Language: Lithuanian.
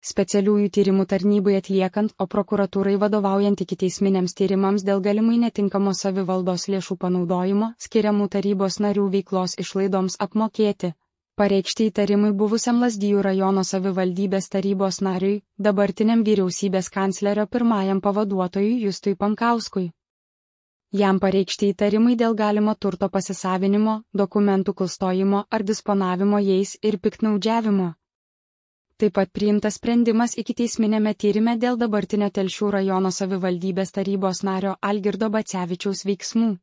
specialiųjų tyrimų tarnybai atliekant, o prokuratūrai vadovaujant ikiteisminiams tyrimams dėl galimai netinkamo savivaldos lėšų panaudojimo, skiriamų tarybos narių veiklos išlaidoms apmokėti. Pareikšti įtarimai buvusiam Lazdijų rajono savivaldybės tarybos nariui, dabartiniam vyriausybės kanclerio pirmajam pavaduotojui Justui Pankauskui. Jam pareikšti įtarimai dėl galimo turto pasisavinimo, dokumentų klastojimo ar disponavimo jais ir piktnaudžiavimo. Taip pat priimtas sprendimas ikiteisminėme tyrime dėl dabartinio Telšių rajono savivaldybės tarybos nario Algirdo Bacevičiaus veiksmų.